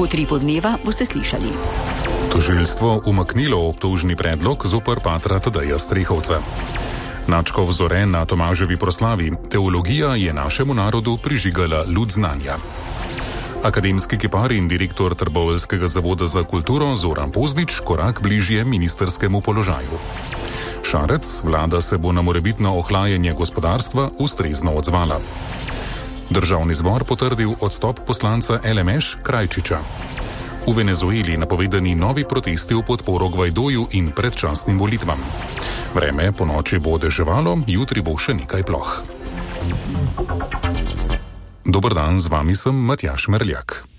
V Utripu dneva boste slišali. Tožilstvo umaknilo obtožni predlog zoper patra Tadeja Strehovca. Načkov Zore na Tomaževi proslavi. Teologija je našemu narodu prižigala luč znanja. Akademski kipar in direktor Trboveljskega zavoda za kulturo Zoran Poznič korak bližje ministerskemu položaju. Šarec, vlada se bo na morebitno ohlajanje gospodarstva ustrezno odzvala. Državni zbor potrdil odstop poslanca LMŠ Krajčiča. V Venezueli napovedani novi protesti v podporo Gvajdoju in predčasnim volitvam. Vreme po noči bo deževalo, jutri bo še nekaj ploh. Dober dan, z vami sem Matjaž Merljak.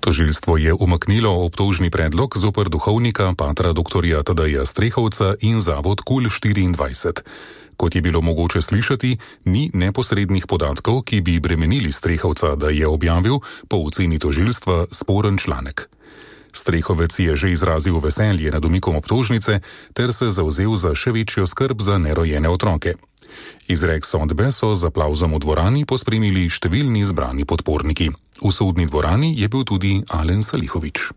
Tožilstvo je umaknilo obtožni predlog zoper duhovnika patra dr. Tadeja Strehovca in zavod KUL 24. Kot je bilo mogoče slišati, ni neposrednih podatkov, ki bi bremenili Strehovca, da je objavil po oceni tožilstva sporen članek. Strehovec je že izrazil veselje nad umikom obtožnice ter se zavzel za še večjo skrb za nerojene otroke. Izrek sodbe so z aplavzom v dvorani pospremili številni zbrani podporniki. V sodni dvorani je bil tudi Alen Salihović.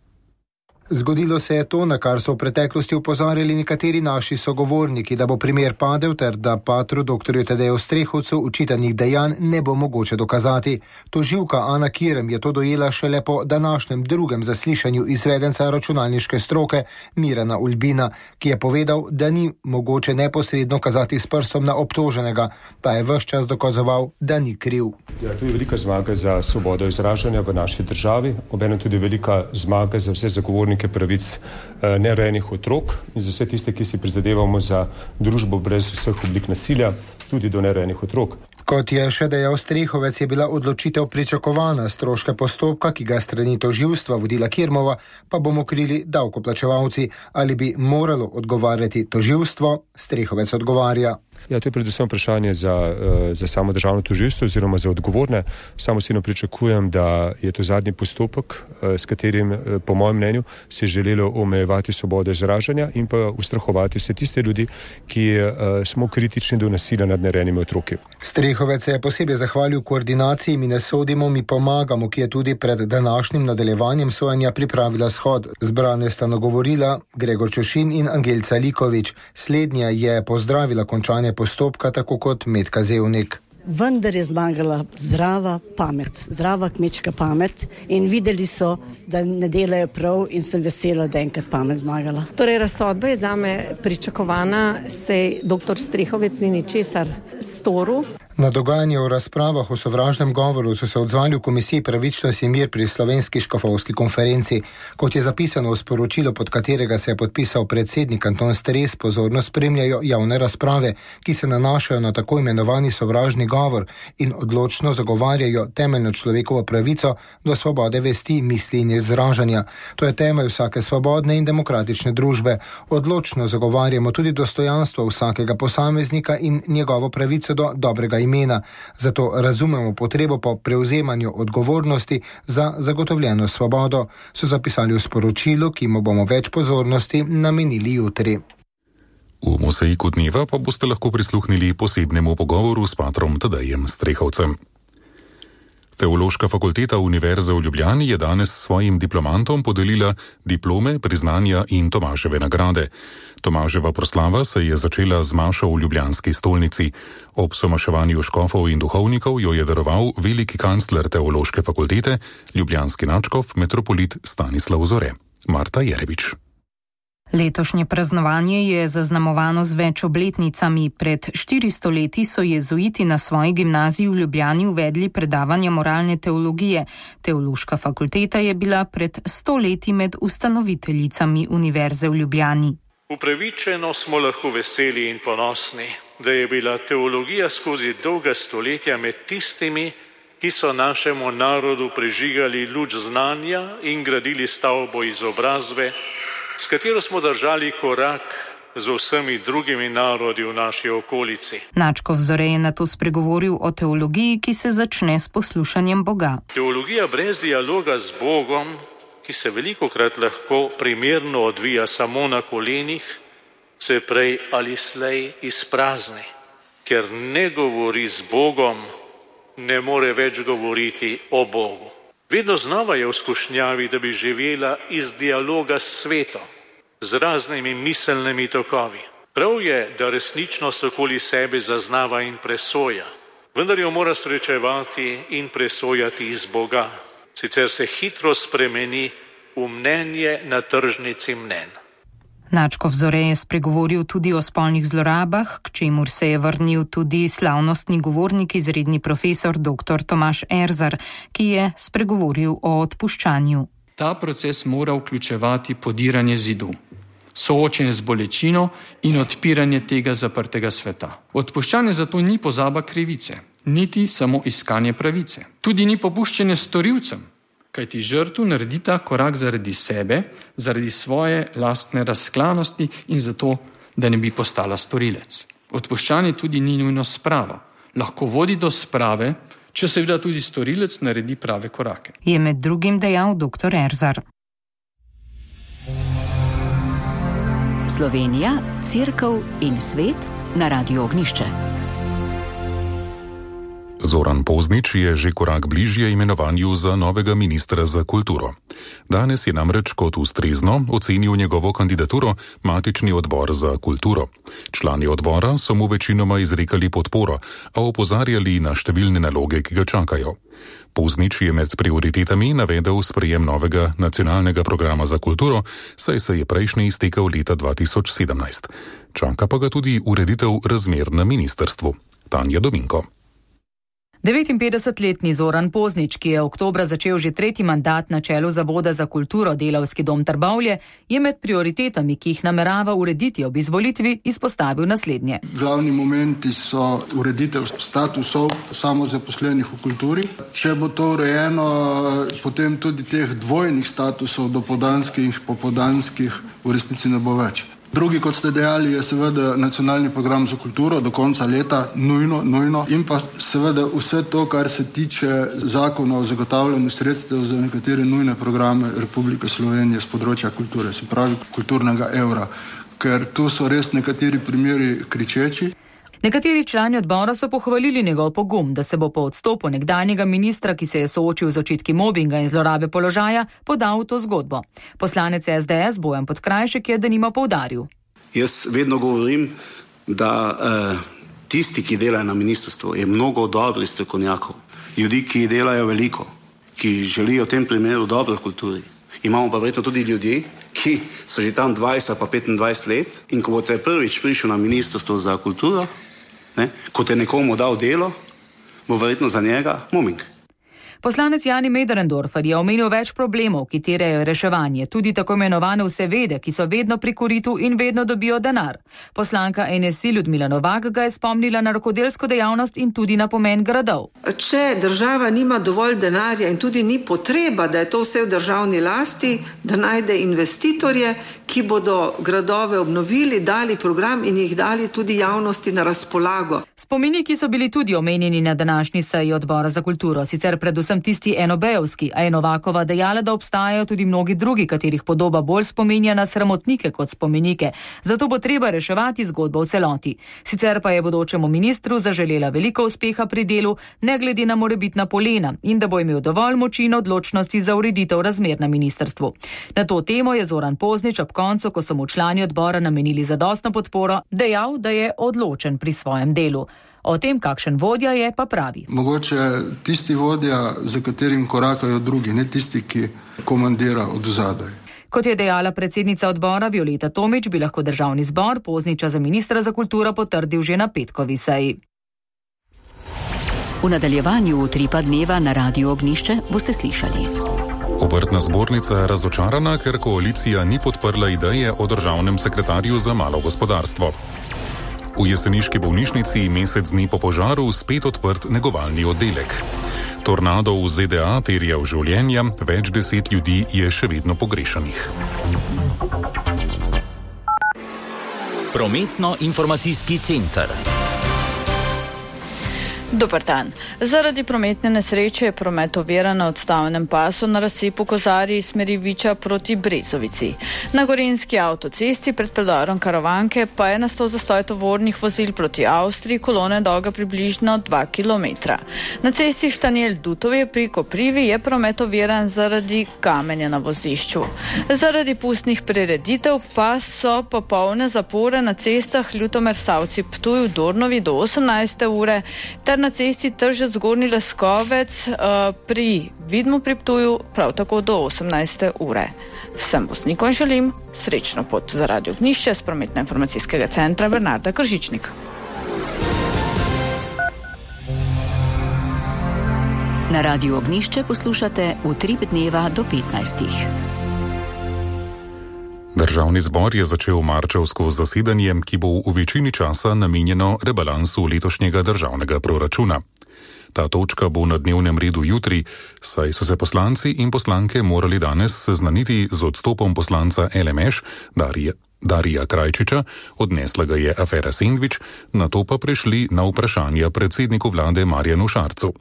Zgodilo se je to, na kar so v preteklosti upozorili nekateri naši sogovorniki, da bo primer padel ter da patru dr. Tadeju Strehovcu očitanih dejanj ne bo mogoče dokazati. Tožilka Ana Kirem je to dojela šele po današnjem drugem zaslišanju izvedenca računalniške stroke Mirana Ulbina, ki je povedal, da ni mogoče neposredno kazati s prstom na obtoženega. Ta je ves čas dokazoval, da ni kriv. Ja, to je velika zmaga za svobodo izražanja v naši državi, obenem tudi velika zmaga za vse zagovornike pravic nerojenih otrok in za vse tiste, ki si prizadevamo za družbo brez vseh oblik nasilja, tudi do nerojenih otrok. Kot je še dejal Strehovec, je bila odločitev pričakovana, stroške postopka, ki ga strani tožilstva vodila Kirmova, pa bomo krili davkoplačevalci. Ali bi moralo odgovarjati tožilstvo? Strehovec odgovarja. Ja, to je predvsem vprašanje za samo državno tožilstvo oziroma za odgovorne. Samo osebno pričakujem, da je to zadnji postopek, s katerim, po mojem mnenju, se je želelo omejevati svobodo izražanja in pa ustrahovati vse tiste ljudi, ki smo kritični do nasilja nad nerojenimi otroki. Strehovec se je posebej zahvalil koordinaciji Mi ne sodimo, mi pomagamo, ki je tudi pred današnjim nadaljevanjem sojenja pripravila shod. Zbrane sta nagovorila Gregor Čošin in Angelca Likovič. Slednja je pozdravila končanje postopka, tako kot Metka Zevnik. Vendar je zmagala zdrava pamet, zdrava kmečka pamet in videli so, da ne delajo prav in sem vesela, da enkrat pamet zmagala. Torej, razsodba je zame pričakovana, saj dr. Strehovec ni ničesar storil. Na dogajanje o razpravah o sovražnem govoru so se odzvali v Komisiji pravičnost in mir pri Slovenski škofovski konferenci. Kot je zapisano v sporočilu, pod katerega se je podpisal predsednik Anton Stres, pozorno spremljajo javne razprave, ki se nanašajo na tako imenovani sovražni govor in odločno zagovarjajo temeljno človekovo pravico do svobode vesti, misli in izražanja. To je temelj vsake svobodne in demokratične družbe. Odločno zagovarjamo tudi dostojanstvo vsakega posameznika in njegovo pravico do dobrega imena. Zato razumemo potrebo po prevzemanju odgovornosti za zagotovljeno svobodo, so zapisali v sporočilu, ki mu bomo več pozornosti namenili jutri. V Mozaiku dneva pa boste lahko prisluhnili posebnemu pogovoru s patrom Tadejem Strehovcem. Teološka fakulteta Univerze v Ljubljani je danes svojim diplomantom podelila diplome, priznanja in Tomaževe nagrade. Tomaževa proslava se je začela z mašo v ljubljanski stolnici. Ob somaševanju škofov in duhovnikov jo je daroval veliki kancler Teološke fakultete, ljubljanski nadškof metropolit Stanislav Zore. Marta Jerebič. Letošnje praznovanje je zaznamovano z več obletnicami. Pred 400 leti so jezuiti na svoji gimnaziji v Ljubljani uvedli predavanja moralne teologije. Teološka fakulteta je bila pred 100 leti med ustanoviteljicami Univerze v Ljubljani. Upravičeno smo lahko veseli in ponosni, da je bila teologija skozi dolga stoletja med tistimi, ki so našemu narodu prižigali luč znanja in gradili stavbo izobrazbe, s katero smo držali korak z vsemi drugimi narodi v naši okolici. Načkov Zore je nato spregovoril o teologiji, ki se začne s poslušanjem Boga. Teologija brez dialoga z Bogom, ki se velikokrat lahko primerno odvija samo na kolenih, se prej ali slej izprazni. ker ne govori z Bogom, ne more več govoriti o Bogu. Vedno znova je v skušnjavi, da bi živela iz dialoga s svetom, z raznimi miselnimi tokovi. Prav je, da resničnost okoli sebe zaznava in presoja, vendar jo mora srečevati in presojati iz Boga. Sicer se hitro spremeni v mnenje na tržnici mnenj. Načkov Zore je spregovoril tudi o spolnih zlorabah, k čemur se je vrnil tudi slavnostni govornik, izredni profesor dr. Tomaž Erzar, ki je spregovoril o odpuščanju. Ta proces mora vključevati podiranje zidu, soočenje z bolečino in odpiranje tega zaprtega sveta. Odpuščanje zato ni pozaba krivice, niti samo iskanje pravice. Tudi ni popuščanje storilcem, kajti žrtev naredita korak zaradi sebe, zaradi svoje lastne razklanosti in zato, da ne bi postala storilec. Odpuščanje tudi ni nujno sprava. Lahko vodi do sprave, če seveda tudi storilec naredi prave korake. Je med drugim dejal dr. Erzar. Slovenija, Cerkev in svet na Radiu Ognišče. Zoran Poznič je že korak bližje imenovanju za novega ministra za kulturo. Danes je namreč kot ustrezno ocenil njegovo kandidaturo matični odbor za kulturo. Člani odbora so mu večinoma izrekali podporo, a opozarjali na številne naloge, ki ga čakajo. Poznič je med prioritetami navedel sprejem novega nacionalnega programa za kulturo, saj se je prejšnji iztekel leta 2017. Čaka pa ga tudi ureditev razmer na ministrstvu. Tanja Dominko. 59-letni Zoran Poznič, ki je oktobra začel že tretji mandat na čelu Zavoda za kulturo Delavski dom Trbovlje, je med prioritetami, ki jih namerava urediti ob izvolitvi, izpostavil naslednje. Glavni momenti so ureditev statusov samozaposlenih v kulturi. Če bo to urejeno, potem tudi teh dvojnih statusov, dopoldanskih, popoldanskih, v resnici ne bo več. Drugi, kot ste dejali, je seveda nacionalni program za kulturo do konca leta, nujno. In pa seveda vse to, kar se tiče zakona o zagotavljanju sredstev za nekatere nujne programe Republike Slovenije z področja kulture, se pravi kulturnega evra, ker tu so res nekateri primeri kričeči. Nekateri člani odbora so pohvalili njegov pogum, da se bo po odstopu nekdanjega ministra, ki se je soočil z očitki mobinga in zlorabe položaja, podal v to zgodbo. Poslanec SDS Bojan Podkrajšek je denimo poudaril. Jaz vedno govorim, da tisti, ki delajo na ministrstvu, je mnogo dobrih strokovnjakov, ljudi, ki delajo veliko, ki želijo v tem primeru dobro v kulturi. Imamo pa verjetno tudi ljudi, ki so že tam 20 pa 25 let in ko boste prvič prišli na ministrstvo za kulturo, ko te nekomu dal delo, bo verjetno za njega mobing. Poslanec Jani Möderndorfer je omenil več problemov, ki terjajo reševanje, tudi tako imenovane vsevede, ki so vedno pri koritu in vedno dobijo denar. Poslanka NSI Ljudmila Novak ga je spomnila na rokodelsko dejavnost in tudi na pomen gradov. Če država nima dovolj denarja in tudi ni potreba, da je to vse v državni lasti, da najde investitorje, ki bodo gradove obnovili, dali program in jih dali tudi javnosti na razpolago. Spomeniki so bili tudi omenjeni na današnji seji odbora za kulturo, sicer predvsem tisti enobejovski, a je Novakova dejala, da obstajajo tudi mnogi drugi, katerih podoba bolj spominja na sramotnike kot spomenike. Zato bo treba reševati zgodbo v celoti. Sicer pa je bodočemu ministru zaželela veliko uspeha pri delu, ne glede na morebitna polena, in da bo imel dovolj moči in odločnosti za ureditev razmer na ministrstvu. Na to temo je Zoran Poznič ob koncu, ko so mu člani odbora namenili zadostno podporo, dejal, da je odločen pri svojem delu. O tem, kakšen vodja je, pa pravi. Mogoče tisti vodja, za katerim korakajo drugi, ne tisti, ki komandira od zadaj. Kot je dejala predsednica odbora Violeta Tomić, bi lahko državni zbor Pozniča za ministra za kulturo potrdil že na petkovi seji. V nadaljevanju Utripa dneva na Radiu Ognišče boste slišali. Obrtna zbornica je razočarana, ker koalicija ni podprla ideje o državnem sekretarju za malo gospodarstvo. V jeseniški bolnišnici mesec dni po požaru spet odprt negovalni oddelek. Tornado v ZDA terjal življenja, več 10 ljudi je še vedno pogrešanih. Prometno-informacijski center. Dober dan. Zaradi prometne nesreče je promet oviran na odstavnem pasu na razcepu Kozarji iz smeri Viča proti Brezovici. Na gorenjski avtocesti pred predorom Karavanke pa je nastal zastoj tovornih vozil proti Avstriji, kolona dolga približno 2 km. Na cesti Štanjel-Dutovje pri Koprivi je promet oviran zaradi kamenja na vozišču. Zaradi pustnih prireditev pa so popolne zapore na cestah Ljutomer-Savci-Ptuj v Dornovi do 18. ure ter na cesti Tržec-Zgornji Leskovec pri Vidmu pri Ptuju prav tako do 18. ure. Vsem voznikom želim srečno pot za Radio Ognjišče s prometno-informacijskega centra Bernarda Kržičnik. Na Radio Ognjišče poslušate Utrip dneva do 15. Državni zbor je začel marčevsko zasedanje, ki bo v večini časa namenjeno rebalansu letošnjega državnega proračuna. Ta točka bo na dnevnem redu jutri, saj so se poslanci in poslanke morali danes seznaniti z odstopom poslanca LMŠ Darija Krajčiča, odnesla ga je afera Sendvič, nato pa prešli na vprašanja predsedniku vlade Marjanu Šarcu.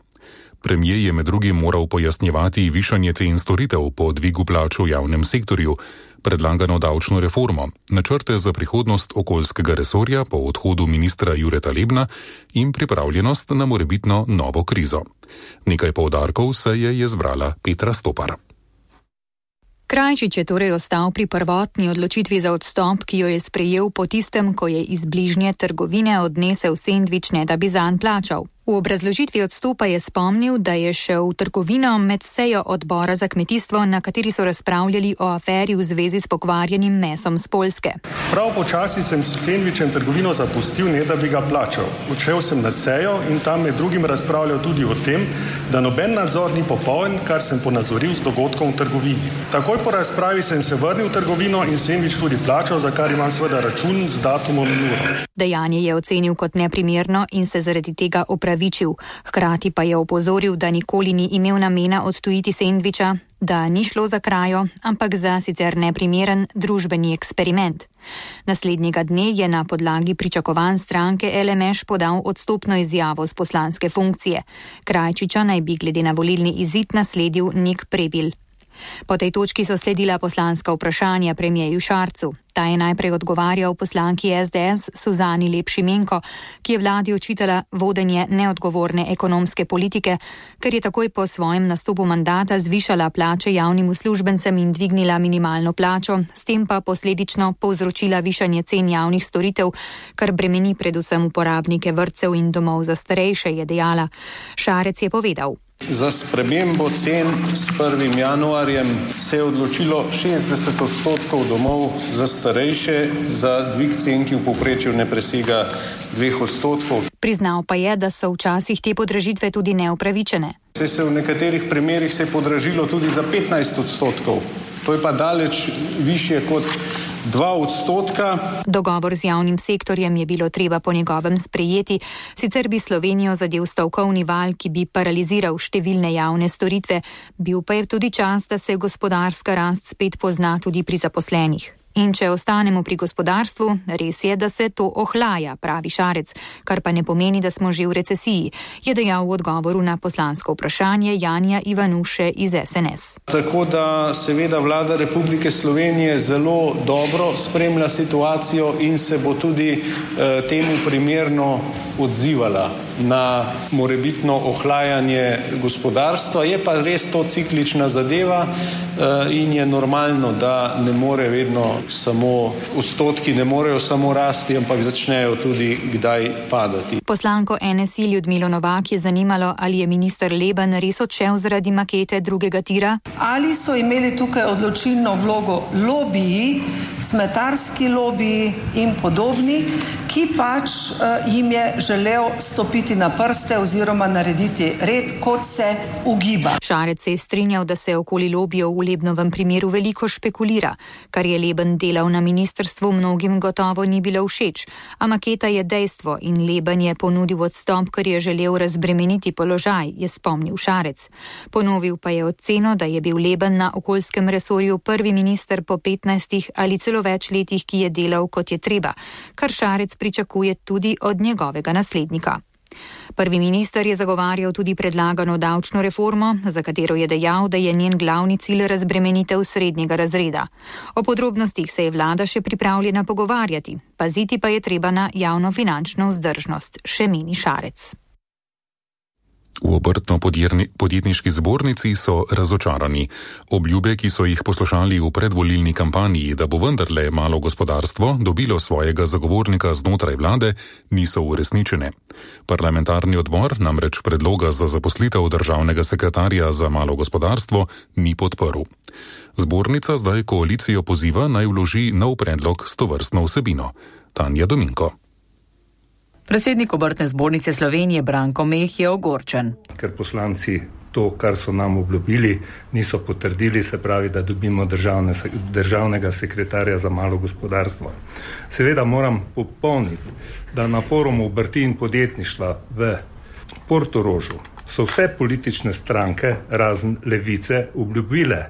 Premier je med drugim moral pojasnjevati višanje cen storitev po dvigu plač v javnem sektorju, predlagano davčno reformo, načrte za prihodnost okoljskega resorja po odhodu ministra Jureta Lebna in pripravljenost na morebitno novo krizo. Nekaj poudarkov se je zbrala Petra Stopar. Krajčič je torej ostal pri prvotni odločitvi za odstop, ki jo je sprejel po tistem, ko je iz bližnje trgovine odnesel sendvič, ne da bi zanj plačal. V obrazložitvi odstopa je spomnil, da je šel v trgovino med sejo odbora za kmetijstvo, na kateri so razpravljali o aferi v zvezi s pokvarjenim mesom z Poljske. Prav počasi sem s sendvičem trgovino zapustil, ne da bi ga plačal. Odšel sem na sejo in tam med drugim razpravljal tudi o tem, da noben nadzor ni popoln, kar sem ponazoril z dogodkom v trgovini. Takoj po razpravi sem se vrnil v trgovino in sendvič tudi plačal, za kar imam seveda račun z datumom in uro. Dejanje je ocenil kot neprimerno in se zaradi tega opravičil. Hkrati pa je opozoril, da nikoli ni imel namena odtujiti sendviča, da ni šlo za krajo, ampak za sicer neprimeren družbeni eksperiment. Naslednjega dne je na podlagi pričakovanj stranke LMŠ podal odstopno izjavo z poslanske funkcije. Krajčiča naj bi glede na volilni izid nasledil Nik Prebil. Po tej točki so sledila poslanska vprašanja premierju Šarcu. Ta je najprej odgovarjal poslanki SDS Suzani Lep Šimenko, ki je vladi očitala vodenje neodgovorne ekonomske politike, ker je takoj po svojem nastopu mandata zvišala plače javnim uslužbencem in dvignila minimalno plačo, s tem pa posledično povzročila višanje cen javnih storitev, kar bremeni predvsem uporabnike vrtcev in domov za starejše, je dejala. Šarec je povedal: Za spremembo cen s 1. januarjem se je odločilo 60% domov za starejše, za dvig cen, ki v povprečju ne presega 2%. Priznal pa je, da so včasih te podražitve tudi neupravičene. Se v nekaterih primerih se je podražilo tudi za 15%. To je pa daleč višje kot 2%. Dogovor z javnim sektorjem je bilo treba po njegovem sprejeti, sicer bi Slovenijo zadel stavkovni val, ki bi paraliziral številne javne storitve, bil pa je tudi čas, da se gospodarska rast spet pozna tudi pri zaposlenih. In če ostanemo pri gospodarstvu, res je, da se to ohlaja, pravi Šarec, kar pa ne pomeni, da smo že v recesiji, je dejal v odgovoru na poslansko vprašanje Janija Ivanuše iz SNS. Tako da seveda vlada Republike Slovenije zelo dobro spremlja situacijo in se bo tudi temu primerno odzivala na morebitno ohlajanje gospodarstva. Je pa res to ciklična zadeva in je normalno, da ne more vedno samo odstotki, ne morejo samo rasti, ampak začnejo tudi kdaj padati. Poslanko NSI Ljudmilo Novak je zanimalo, ali je minister Leben res odšel zaradi makete drugega tira. Ali so imeli tukaj odločilno vlogo lobiji, smetarski lobiji in podobni, ki pač jim je želel stopiti na prste oziroma narediti red, kot se ugiba. Šarec se je strinjal, da se okoli lobijev v Lebnovem primeru veliko špekulira, kar je Leben delal na ministrstvu, mnogim gotovo ni bilo všeč, a maketa je dejstvo in Leben je ponudil odstop, ker je želel razbremeniti položaj, je spomnil Šarec. Ponovil pa je oceno, da je bil Leben na okoljskem resorju prvi minister po 15 ali celo več letih, ki je delal kot je treba, kar Šarec pričakuje tudi od njegovega naslednika. Prvi minister je zagovarjal tudi predlagano davčno reformo, za katero je dejal, da je njen glavni cilj razbremenitev srednjega razreda. O podrobnostih se je vlada še pripravljena pogovarjati, paziti pa je treba na javnofinančno vzdržnost, še meni Šarec. V obrtno-podjetniški zbornici so razočarani. Obljube, ki so jih poslušali v predvolilni kampanji, da bo vendarle malo gospodarstvo dobilo svojega zagovornika znotraj vlade, niso uresničene. Parlamentarni odbor namreč predloga za zaposlitev državnega sekretarja za malo gospodarstvo ni podprl. Zbornica zdaj koalicijo poziva, naj vloži nov predlog s tovrstno vsebino. Tanja Dominko. Predsednik Obrtne zbornice Slovenije Branko Meh je ogorčen. Ker poslanci to, kar so nam obljubili, niso potrdili, se pravi, da dobimo državnega sekretarja za malo gospodarstvo. Seveda moram popolniti, da na forumu obrti in podjetništva v Portorožu so vse politične stranke, razen Levice, obljubile,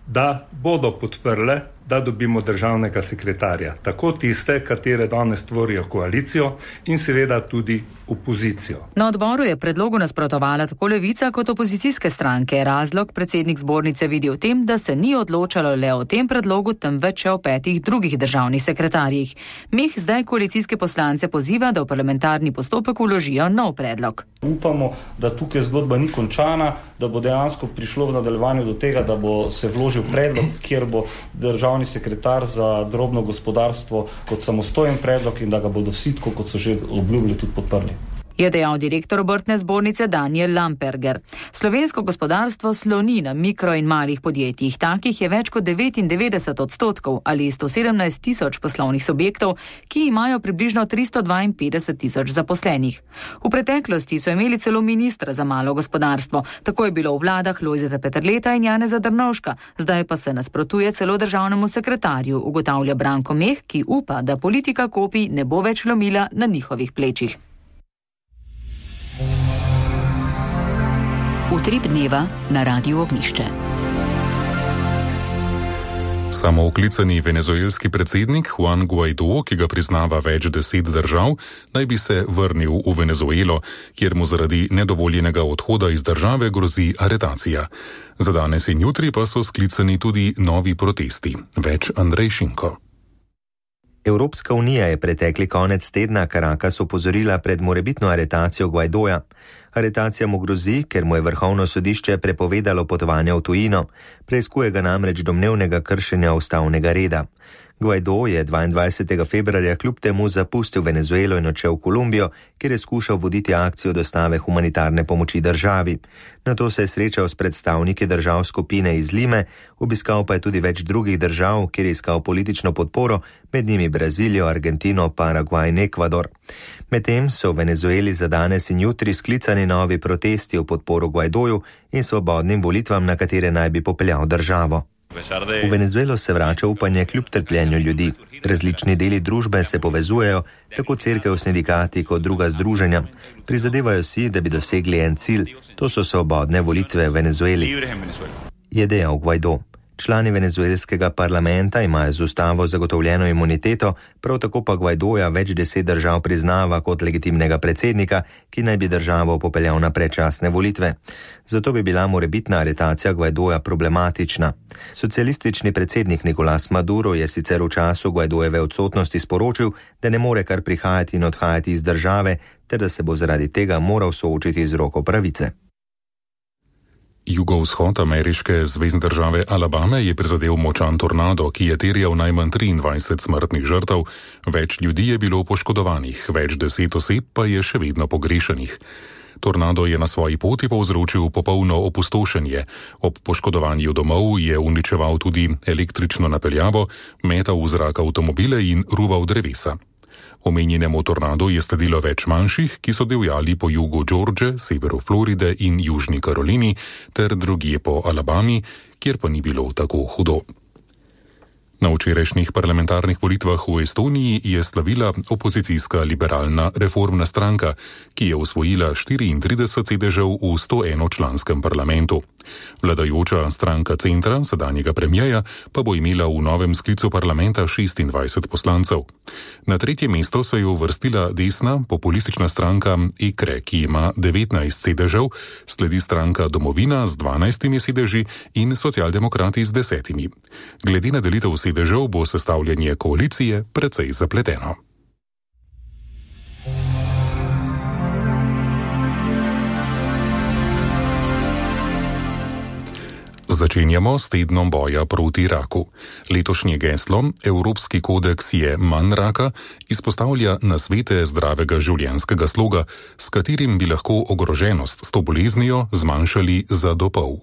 da bodo podprle, da dobimo državnega sekretarja. Tako tiste, katere danes tvorijo koalicijo in seveda tudi opozicijo. Na odboru je predlogu nasprotovala tako Levica kot opozicijske stranke. Razlog predsednik zbornice vidi v tem, da se ni odločalo le o tem predlogu, temveč o 5 drugih državnih sekretarjih. Meh zdaj koalicijske poslance poziva, da v parlamentarni postopek vložijo nov predlog. Upamo, da tukaj zgodba ni končana, da bo dejansko prišlo v nadaljevanju do tega, da bo se vložil predlog, kjer bo državni sekretar za drobno gospodarstvo kot samostojen predlog in da ga bodo vsi, tako kot so že obljubili, tudi podprli. Je dejal direktor Obrtne zbornice Daniel Lamperger. Slovensko gospodarstvo sloni na mikro in malih podjetjih. Takih je več kot 99% ali 117 tisoč poslovnih subjektov, ki imajo približno 352 tisoč zaposlenih. V preteklosti so imeli celo ministra za malo gospodarstvo. Tako je bilo v vladah Lojzeta Peterleta in Janeza Drnovška. Zdaj pa se nasprotuje celo državnemu sekretarju, ugotavlja Branko Meh, ki upa, da politika kopij ne bo več lomila na njihovih plečih. Utrip dneva na Radiu Ognjišče. Samooklicani venezuelski predsednik Juan Guaidó, ki ga priznava več 10 držav, naj bi se vrnil v Venezuelo, kjer mu zaradi nedovoljenega odhoda iz države grozi aretacija. Za danes in jutri pa so sklicani tudi novi protesti. Več Andrej Šinko. Evropska unija je pretekli konec tedna Caracas opozorila pred morebitno aretacijo Guaidója. Aretacija mu grozi, ker mu je vrhovno sodišče prepovedalo potovanje v tujino, preiskuje ga namreč domnevnega kršenja ustavnega reda. Guaidó je 22. februarja kljub temu zapustil Venezuelo in odšel v Kolumbijo, kjer je skušal voditi akcijo dostave humanitarne pomoči državi. Nato se je srečal s predstavniki držav skupine iz Lime, obiskal pa je tudi več drugih držav, kjer je iskal politično podporo, med njimi Brazilijo, Argentino, Paragvaj in Ekvador. Medtem so v Venezueli za danes in jutri sklicani novi protesti v podporo Guaidóju in svobodnim volitvam, na katere naj bi popeljal državo. V Venezuelo se vrača upanje kljub trpljenju ljudi. Različni deli družbe se povezujejo, tako cerkev, sindikati kot druga združenja. Prizadevajo si, da bi dosegli en cilj, to so svobodne volitve v Venezueli, je dejal Guaidó. Člani venezuelskega parlamenta imajo z ustavo zagotovljeno imuniteto, prav tako pa Guaidója več 10 držav priznava kot legitimnega predsednika, ki naj bi državo popeljal na predčasne volitve. Zato bi bila morebitna aretacija Guaidója problematična. Socialistični predsednik Nicolás Maduro je sicer v času Guaidójeve odsotnosti sporočil, da ne more kar prihajati in odhajati iz države, ter da se bo zaradi tega moral soočiti z roko pravice. Jugovzhod ameriške zvezne države Alabame je prizadel močan tornado, ki je terjal najmanj 23 smrtnih žrtev, več ljudi je bilo poškodovanih, več 10 oseb pa je še vedno pogrešanih. Tornado je na svoji poti povzročil popolno opustošenje. Ob poškodovanju domov je uničeval tudi električno napeljavo, metal v zrak avtomobile in ruval drevesa. Omenjenemu tornadu je sledilo več manjših, ki so divjali po jugu George, severu Floride in južni Karolini ter drugje po Alabami, kjer pa ni bilo tako hudo. Na včerajšnjih parlamentarnih volitvah v Estoniji je slavila opozicijska liberalna reformna stranka, ki je osvojila 34 sedežev v 101-članskem parlamentu. Vladajoča stranka Centra, sedanjega premijeja, pa bo imela v novem sklicu parlamenta 26 poslancev. Na tretje mesto se je uvrstila desna populistična stranka EKRE, ki ima 19 sedežev, sledi stranka Domovina z 12 sedeži in socialdemokrati z 10. Glede na delitev sedežev bo sestavljanje koalicije precej zapleteno. Začenjamo s tednom boja proti raku. Letošnje geslo Evropski kodeks je manj raka izpostavlja nasvete zdravega življenjskega sloga, s katerim bi lahko ogroženost s to boleznijo zmanjšali za do pol.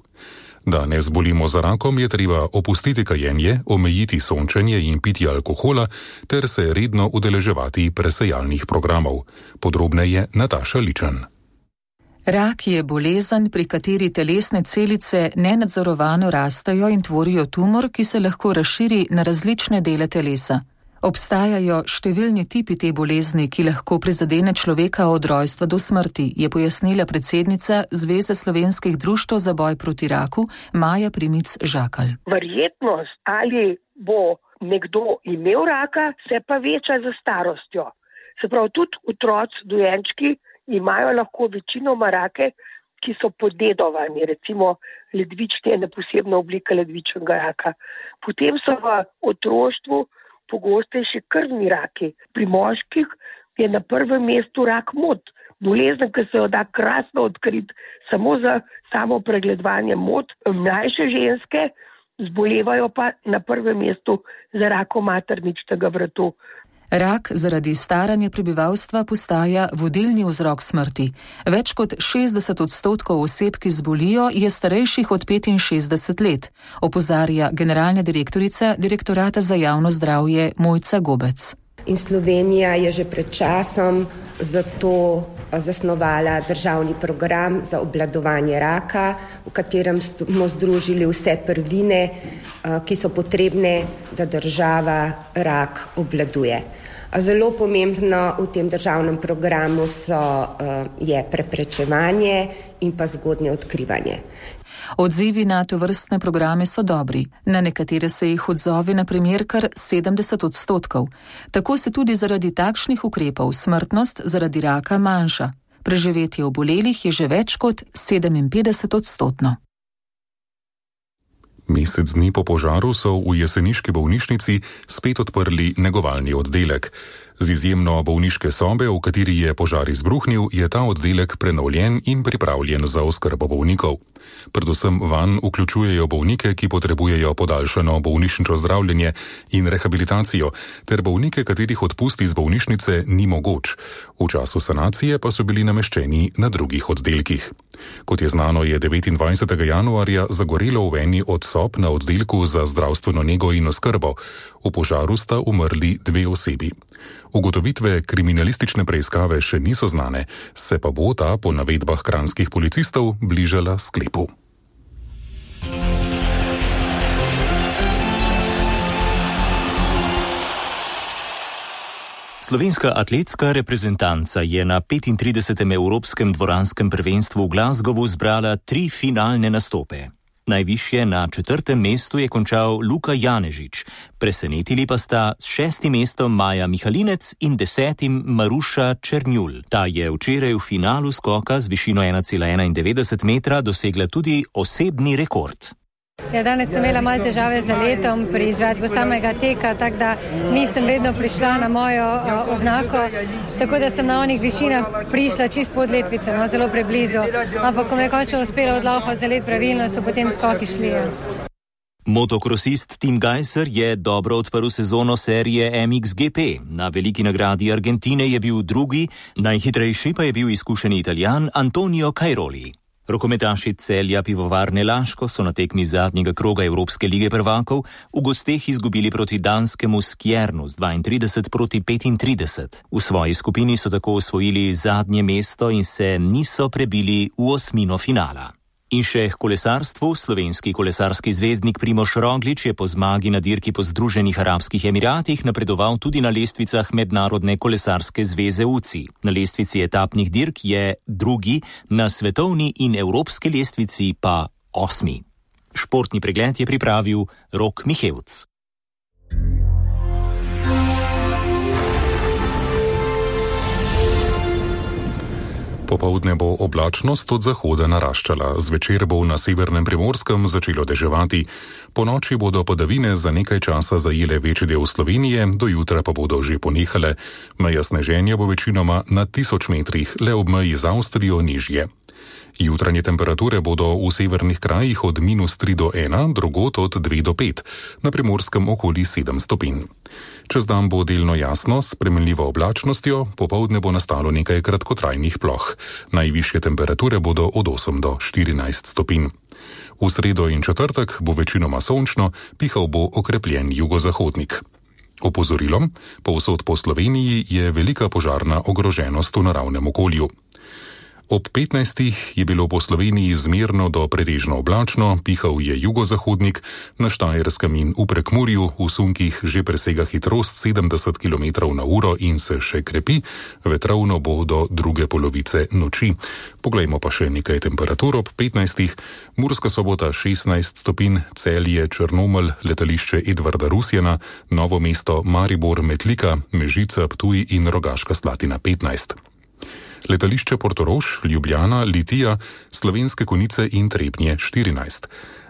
Da ne zbolimo za rakom, je treba opustiti kajenje, omejiti sončenje in pitje alkohola ter se redno udeleževati presejalnih programov. Podrobneje Nataša Ličen. Rak je bolezen, pri kateri telesne celice nenadzorovano rastejo in tvorijo tumor, ki se lahko razširi na različne dele telesa. Obstajajo številni tipi te bolezni, ki lahko prizadene človeka od rojstva do smrti, je pojasnila predsednica Zveze slovenskih društev za boj proti raku Maja Primic Žakalj. Verjetnost, ali bo nekdo imel raka, se pa veča za starostjo. Se pravi, tudi otroci, dojenčki imajo lahko večinoma rake, ki so podedovani, recimo ledvični je ena posebna oblika ledvičnega raka. Potem so v otroštvu pogostejši krvni raki. Pri moških je na prvem mestu rak mod. Bolezen, ki se jo da krasno odkriti samo za samo pregledovanje mod. Mlajše ženske zbolevajo pa na prvem mestu za rakom materničnega vratu. Rak zaradi staranja prebivalstva postaja vodilni vzrok smrti. Več kot 60% oseb, ki zbolijo, je starejših od 65 let, opozarja generalna direktorica Direktorata za javno zdravje Mojca Gobec. In Slovenija je že pred časom zato zasnovala državni program za obvladovanje raka, v katerem smo združili vse prvine, ki so potrebne, da država rak obvladuje. Zelo pomembno v tem državnem programu je preprečevanje in pa zgodnje odkrivanje. Odzivi na tovrstne programe so dobri. Na nekatere se jih odzove na primer kar 70%. Tako se tudi zaradi takšnih ukrepov smrtnost zaradi raka manjša. Preživetje obolelih je že več kot 57%. Mesec dni po požaru so v jeseniški bolnišnici spet odprli negovalni oddelek. Z izjemno bolniške sobe, v kateri je požar izbruhnil, je ta oddelek prenovljen in pripravljen za oskrbo bolnikov. Predvsem vanj vključujejo bolnike, ki potrebujejo podaljšano bolnišnično zdravljenje in rehabilitacijo, ter bolnike, katerih odpust iz bolnišnice ni mogoč. V času sanacije pa so bili nameščeni na drugih oddelkih. Kot je znano, je 29. januarja zagorelo v eni od sob na oddelku za zdravstveno nego in oskrbo. V požaru sta umrli 2 osebi. Ugotovitve kriminalistične preiskave še niso znane, se pa bo ta po navedbah kranjskih policistov bližala sklepu. Slovenska atletska reprezentanca je na 35. Evropskem dvoranskem prvenstvu v Glasgowu zbrala 3 finalne nastope. Najvišje na 4. mestu je končal Luka Janežič, presenetili pa sta s 6. mestom Maja Mihalinec in 10. Maruša Černjul. Ta je včeraj v finalu skoka z višino 1,91 metra dosegla tudi osebni rekord. Ja, danes sem imela malo težave z letom pri izvedbi samega teka, tako da nisem vedno prišla na mojo oznako, tako da sem na onih višinah prišla čist pod letvico, no, zelo preblizu. Ampak ko me je končno uspelo odlaufati za let pravilno, so potem skoki šli. Motokrosist Tim Gajser je dobro odprl sezono serije MXGP. Na veliki nagradi Argentine je bil drugi, najhitrejši pa je bil izkušeni Italijan Antonio Cairoli. Rokometaši Celja Pivovarne Laško so na tekmi zadnjega kroga Evropske lige prvakov v gosteh izgubili proti danskemu Skjernu z 32 proti 35. V svoji skupini so tako osvojili zadnje mesto in se niso prebili v osmino finala. In še k kolesarstvu. Slovenski kolesarski zvezdnik Primož Roglič je po zmagi na dirki po Združenih arabskih emiratih napredoval tudi na lestvicah Mednarodne kolesarske zveze UCI. Na lestvici etapnih dirk je drugi, na svetovni in evropski lestvici pa 8. Športni pregled je pripravil Rok Mihevc. Popoldne bo oblačnost od zahoda naraščala, zvečer bo na severnem Primorskem začelo deževati. Po noči bodo padavine za nekaj časa zajele večji del Slovenije, do jutra pa bodo že ponehale. Meja sneženja bo večinoma na 1000 metrih, le ob meji z Avstrijo nižje. Jutranje temperature bodo v severnih krajih od -3 do 1, drugod od 2 do 5, na Primorskem okoli 7 stopinj. Čez dan bo delno jasno, s spremenljivo oblačnostjo, popoldne bo nastalo nekaj kratkotrajnih ploh. Najvišje temperature bodo od 8 do 14 stopinj. V sredo in četrtek bo večinoma sončno, pihal bo okrepljen jugozahodnik. Opozorilom, povsod po Sloveniji je velika požarna ogroženost v naravnem okolju. Ob 15. je bilo po Sloveniji zmerno do pretežno oblačno, pihal je jugozahodnik, na Štajerskem in v Prekmurju v sunkih že presega hitrost 70 km/h in se še krepi, vetrovno bo do druge polovice noči. Poglejmo pa še nekaj temperatur ob 15. Murska Sobota 16 stopinj, Celje, Črnomelj, letališče Edvarda Rusjana, Novo mesto, Maribor, Metlika, Mežica, Ptuj in Rogaška Slatina 15. Letališče Portorož, Ljubljana, Litija, Slovenske Konjice in Trebnje 14.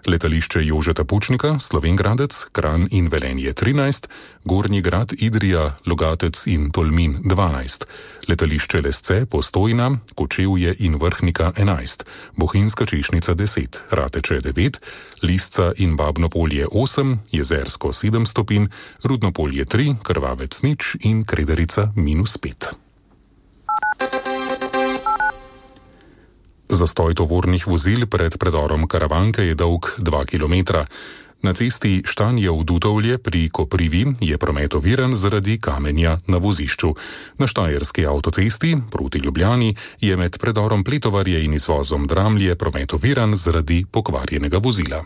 Letališče Jožeta Pučnika, Slovenj Gradec, Kranj in Velenje 13, Gornji Grad, Idrija, Logatec in Tolmin 12. Letališče Lesce, Postojna, Kočevje in Vrhnika 11, Bohinjska Češnica 10, Rateče 9, Lisca in Babno Polje 8, Jezersko 7 stopinj, Rudno Polje 3, Krvavec 0 in Krederica -5. Zastoj tovornih vozil pred predorom Karavanke je dolg 2 km. Na cesti Štanjev-Dutovlje pri Koprivi je promet oviran zaradi kamenja na vozišču. Na štajerski avtocesti proti Ljubljani je med predorom Pletovarje in izvozom Dramlje promet oviran zaradi pokvarjenega vozila.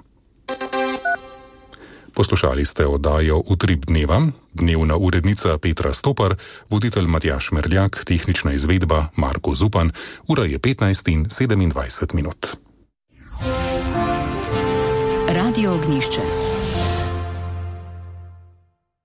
Poslušali ste oddajo Utrip dneva, dnevna urednica Petra Stopar, voditelj Matjaž Merljak, tehnična izvedba Marko Zupan, ura je 15:27. Radio Ognjišče.